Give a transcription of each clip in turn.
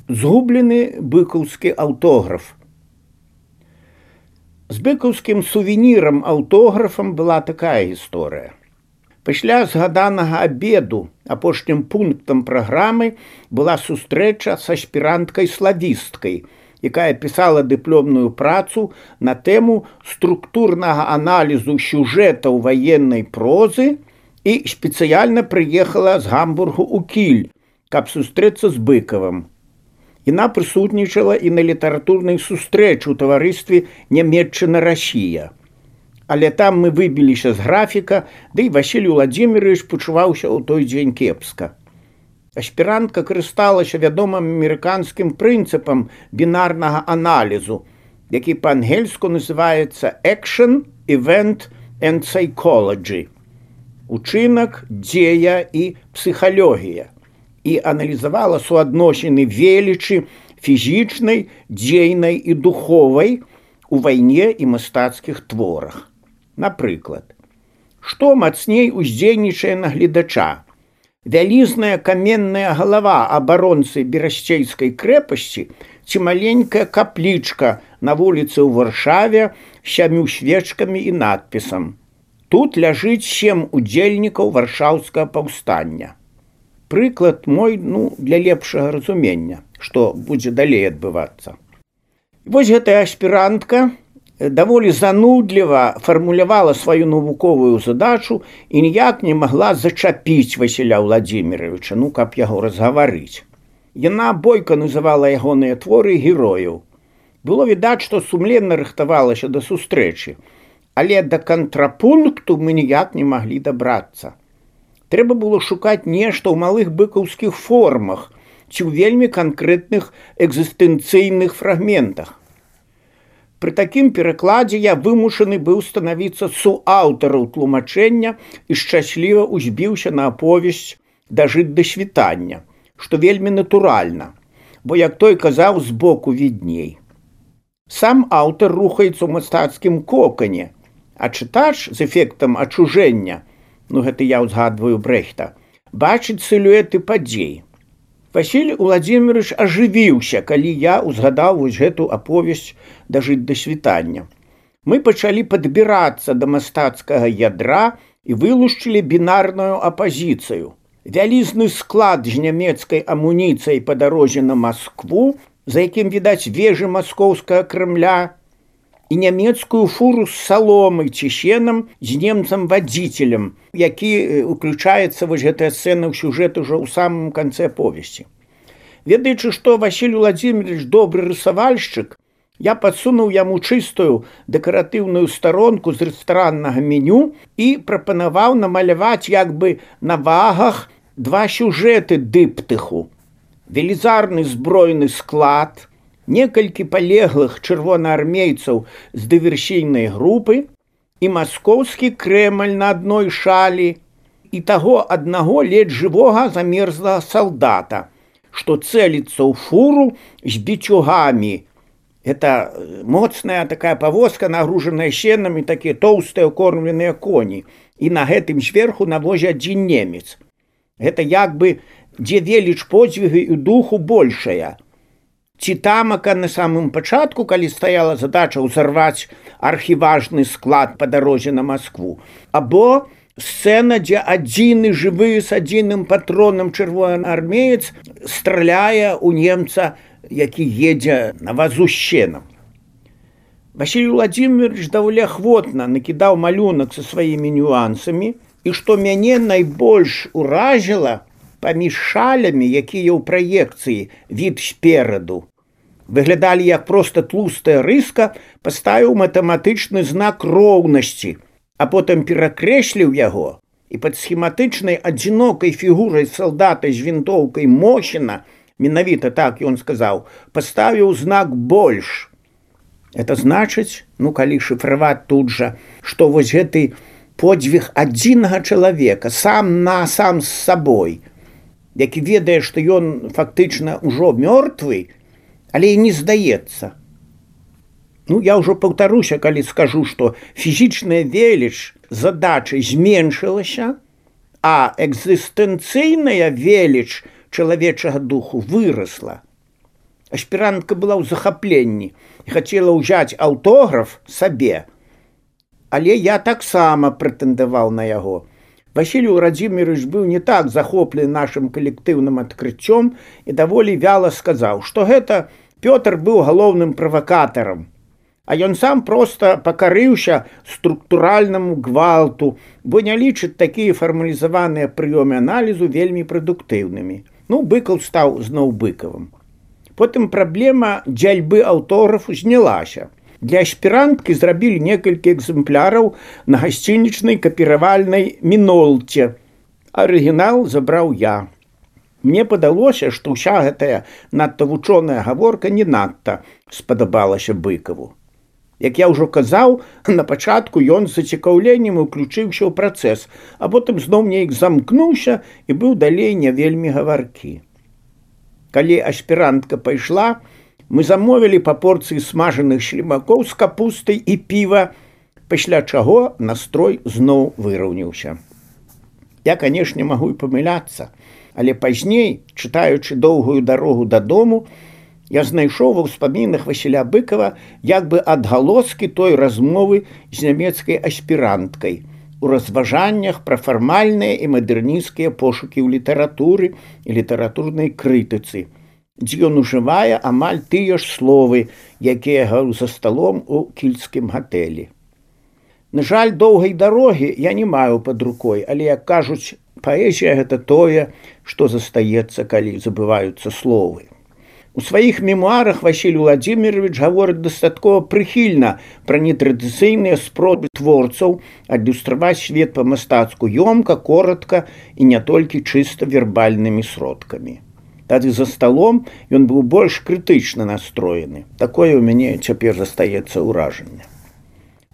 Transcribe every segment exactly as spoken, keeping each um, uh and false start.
Згублены быкаўскі аўтограф. З быкаўскім сувенірам аўтографам была такая гісторыя. Пасля згаданага абеду апошнім пунктам праграмы была сустрэча с аспіранткай-славісткай, якая пісала дыпломную працу на тэму структурнага аналізу сюжэтаў ваеннай прозы і спецыяльна прыехала з Гамбургу ў Кіль, каб сустрэцца з Быкавым. Яна прысутнічала і на літаратурнай сустрэчы ў таварыстве Нямецчына-Расія. Але там мы выбіліся з графіка, ды і Васіль Уладзімірович пачуваўся ў той дзень кепска. Аспірантка карысталася вядомым амерыканскім прынцыпам бінарнага аналізу, які па-ангельску называецца «Action, Event and Psychology» – «Учынак, дзея і псіхалогія», і аналізавала суадносіны велічы фізічнай, дзейнай і духовай у вайне і мастацкіх творах. Напрыклад, што мацней уздзейнічае на гледача? Вялізная каменная галава абаронцы берасцейскай крэпасці ці маленькая каплічка на вуліцы ў Варшаве з сямю свечкамі і надпісам «Тут ляжыць сем удзельнікаў варшаўскага паўстання». Прыклад мой, ну, для лепшага разумення, што будзе далей адбывацца. Вось гэтая аспірантка даволі занудліва фармулявала сваю навуковую задачу і ніяк не магла зачапіць Васіля Уладзіміровича, ну, каб яго разгаварыць. Яна бойка называла ягоныя творы герояў. Было відаць, што сумленна рыхтавалася да сустрэчы, але да кантрапункту мы ніяк не маглі дабрацца. Трэба было шукаць нешта ў малых быкаўскіх формах ці ў вельмі канкрэтных экзістэнцыйных фрагментах. Пры такім перакладзе я вымушаны быў станавіцца суаўтарам тлумачэння і шчасліва узбіўся на аповесць «Дажыць да світання», што вельмі натуральна, бо, як той казаў, збоку відней. Сам аўтар рухаецца ў мастацкім кокане, а чытач з эфектам ачужэння, ну гэта я ўзгадваю Брэхта, бачыць сілуэты падзей. Васіль Уладзімірович ажывіўся, калі я ўзгадаў вось гэту аповесць «Дажыць да світання». Мы пачалі падбірацца да мастацкага ядра і вылушчылі бінарную апазіцыю. Вялізны склад з нямецкай амуніцыяй па дарозе на Маскву, за якім відаць вежы маскоўскага Крэмля, і нямецкую фуру з саломай ці сенам з немцам-вадзіцелем, які уключаецца вось гэтая сцэна ў сюжэт ужо ў самым канцы аповесці. Ведаючы, што Васіль Уладзімірович добры рысавальшчык, я падсунуў яму чыстую дэкаратыўную старонку з рэстараннага меню і прапанаваў намаляваць як бы на вагах два сюжэты дыптыху. Велізарны збройны склад, некалькі палеглых чырвонаармейцаў з дыверсійнай групы і маскоўскі Крэмль на адной шалі і таго аднаго ледзь жывога замерзлага салдата, што цэліцца ў фуру з біцюгамі. Это моцная такая павозка, нагружаная сенам, і такія тоўстыя кормленыя коні. І на гэтым зверху на возе адзін немец. Гэта як бы дзе веліч подзвігу і духу большая. Ці тамака на самым пачатку, калі стаяла задача ўзарваць архіважны склад па дарозе на Маскву, або сцэна, дзе адзіны жывы з адзіным патронам чырвонаармеец страляе ў немца, які едзе на вазу з сенам. Васіль Уладзімірович даволі ахвотна накідаў малюнак са сваімі нюансамі, і што мяне найбольш уражыла, паміж шалямі, якія ў праекцыі від спераду выглядалі як проста тлустая рыска, паставіў матэматычны знак роўнасці, а потым перакрэсліў яго і пад схематычнай адзінокай фігурай салдата з вінтоўкай Мохіна, менавіта так ён сказаў, паставіў знак больш. Это значыць, ну калі шыфраваць тут жа, што вось гэты подзвіг адзінага чалавека сам на сам з сабой, які ведае, што ён фактычна ўжо мёртвы, але і не здаецца. Ну, я ўжо паўтаруся, калі скажу, што фізічная веліч задачы зменшылася, а экзістэнцыйная веліч чалавечага духу вырасла. Аспірантка была ў захапленні і хацела ўзяць аўтограф сабе. Але я таксама прэтэндаваў на яго. Васіль Уладзімірович быў не так захоплены нашым калектыўным адкрыццём і даволі вяла сказаў, што гэта Пётр быў галоўным правакатарам, а ён сам проста пакарыўся структуральнаму гвалту, бо не лічыць такія фармалізаваныя прыёмы аналізу вельмі прадуктыўнымі. Ну, Быкаў стаў зноў Быкавым. Потым праблема дзяльбы аўтографу знялася. Для аспіранткі зрабілі некалькі экземпляраў на гасцінічнай капіравальнай мінолце. Арыгінал забраў я. Мне падалося, што ўся гэтая надта вучоная гаворка не надта спадабалася Быкаву. Як я ўжо казаў, на пачатку ён з зацікаўленнем уключыўся ў працэс, а потым зноў неяк замкнуўся і быў далей не вельмі гаваркі. Калі аспірантка пайшла, мы замовілі па порцыі смажаных шлімакоў з капустай і піва, пасля чаго настрой зноў выраўніўся. Я, канешне, магу і памыляцца, але пазней, чытаючы доўгую дарогу дадому, я знайшоў ва ўспамінах Васіля Быкава як бы адгалоскі той размовы з нямецкай аспіранткай у разважаннях пра фармальныя і мадэрнісцкія пошукі ў літаратуры і літаратурнай крытыцы, дзе ён ужывае амаль тыя ж словы, якія гаваў за сталом у кільцкім гатэлі. На жаль, доўгай дарогі я не маю пад рукой, але, як кажуць, паэзія – гэта тое, што застаецца, калі забываюцца словы. У сваіх мемуарах Васіль Уладзімірович гаворыць дастаткова прыхільна пра нетрадыцыйныя спробы творцаў адлюстраваць свет па-мастацку ёмка, коратка і не толькі чыста вербальнымі сродкамі. Тады за сталом ён быў больш крытычна настроены. Такое ў мяне цяпер застаецца ўражанне.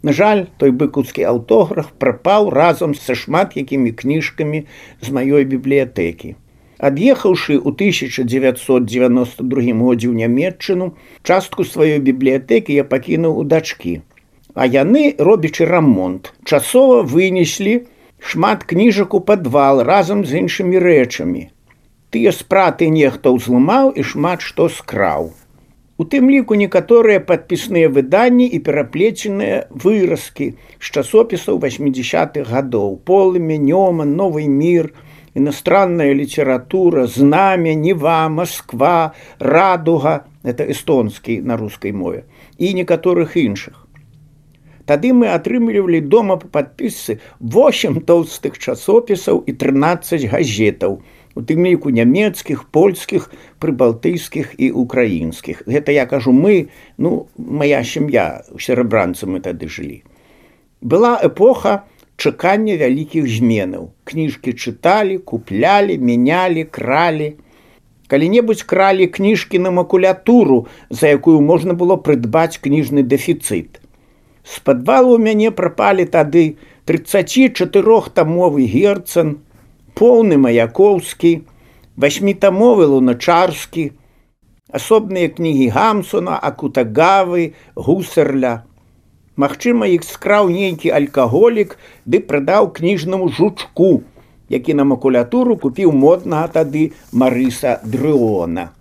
На жаль, той быкаўскі аўтограф прапаў разам са шмат якімі кніжкамі з маёй бібліятэкі. Ад'ехаўшы ў тысяча дзевяцьсот дзевяноста другім годзе ў Нямецчыну, частку сваёй бібліятэкі я пакінуў у дачкі. А яны, робячы рамонт, часова вынеслі шмат кніжак у падвал разам з іншымі рэчамі. Тыя спраты нехта ўзламаў і шмат што скраў. У тым ліку некаторыя падпісныя выданні і пераплеценыя выразкі з часопісаў васьмідзясятых гадоў: «Полымя», «Нёман», «Новый мир», «Иностранная литература», «Знамя», «Нева», «Москва», «Радуга» – это эстонский на русской мове, и некоторых іншых. Тады мы атрымлівалі дома па падпісцы восемь толстых часопісаў і трынаццаць газетаў, у тым ліку нямецкіх, польскіх, прыбалтыйскіх і украінскіх. Гэта я кажу мы, ну, моя сям'я, серабранцы мы тады жылі. Была эпоха чакання вялікіх зменаў. Кніжкі чыталі, куплялі, мянялі, кралі. Калі-небудзь кралі кніжкі на макулятуру, за якую можна было прыдбаць кніжны дэфіцыт. З падвалу ў мяне прапалі тады трыццацічатырохтамовы Герцен, поўны Маяковскі, васьмітамовы Луначарскі, асобныя кнігі Гамсуна, Акутагавы, Гусарля. Магчыма, іх скраў нейкі алкаголік ды прадаў кніжнаму жучку, які на макулятуру купіў моднага тады Марыса Дрыона.